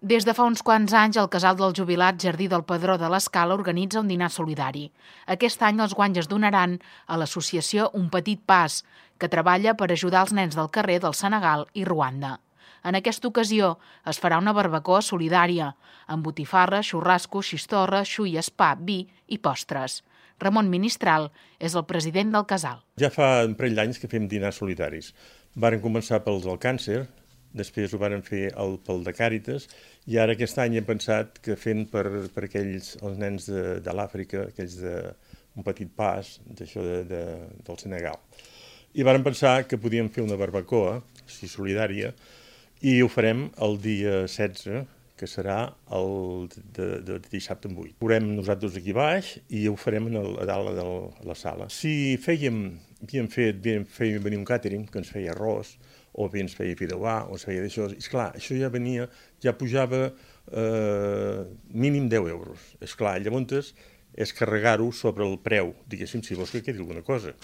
Des de fa uns quants anys, el Casal del Jubilat Jardí del Pedró de l'Escala organitza un dinar solidari. Aquest any els guanys es donaran a l'associació Un Petit Pas, que treballa per ajudar els nens del carrer del Senegal i Ruanda. En aquesta ocasió es farà una barbacoa solidària, amb botifarra, xurrasco, xistorra, xuies, pa, vi i postres. Ramon Ministral és el president del casal. Ja fa un parell d'anys que fem dinars solidaris. Varen començar pels del càncer, després ho varen fer pel de Càritas, i ara aquest any hem pensat que fent per aquells, els nens de l'Àfrica, aquells d'un petit pas, d'això del Senegal. I varen pensar que podíem fer una barbacoa, així solidària, i ho farem el dia 16, que serà el de dissabte en 8. Veurem nosaltres aquí baix i ho farem a dalt de la sala. Si havíem venir un càtering que ens feia arròs, o bé ens feia fideuà, o ens feia d'això, esclar, això ja pujava mínim 10 euros. Esclar, llavors és carregar-ho sobre el preu, diguéssim, si vols que quedi alguna cosa.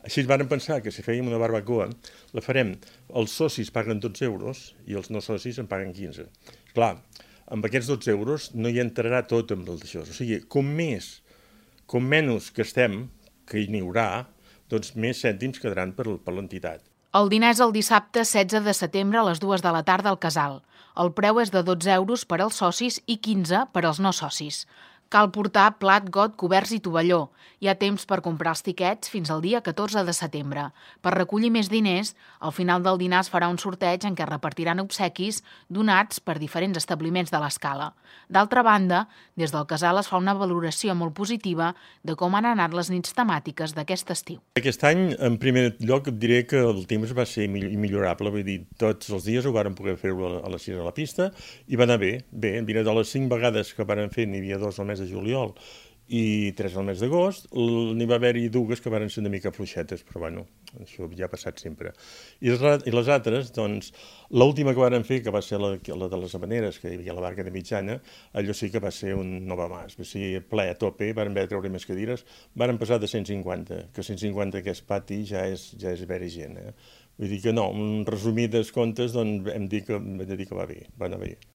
Així es van pensar que si fèiem una barbacoa, la farem, els socis paguen 12 euros i els no socis en paguen 15. Clar, amb aquests 12 euros no hi entrarà tot amb el d'això. O sigui, com menys gastem, que hi n'hi haurà, doncs més cèntims quedaran per l'entitat. El dinar és el dissabte 16 de setembre a les 2 de la tarda al casal. El preu és de 12 euros per als socis i 15 per als no socis. Cal portar plat, got, coberts i tovalló. Hi ha temps per comprar els tiquets fins al dia 14 de setembre. Per recollir més diners, al final del dinar es farà un sorteig en què repartiran obsequis donats per diferents establiments de l'Escala. D'altra banda, des del casal es fa una valoració molt positiva de com han anat les nits temàtiques d'aquest estiu. Aquest any, en primer lloc, et diré que el temps va ser immillorable. Vull dir, tots els dies ho vàrem poder fer-ho a les 6 a la pista i va anar bé. Bé, mira, de les 5 vegades que vàrem fer, n'hi havia 2 al mes de juliol i 3 al mes d'agost, n'hi va haver-hi 2 que van ser una mica fluixetes, però bueno, això ja ha passat sempre. I les altres, doncs, l'última que van fer, que va ser la de les Havaneres, que hi havia la barca de mitjana, allò sí que va ser un no va més, va ser ple a tope, van haver de treure més cadires, van passar de 150, que 150 aquest pati ja és haver-hi gent. Vull dir que no, en resumides comptes, doncs, hem dit que va bé, va anar bé.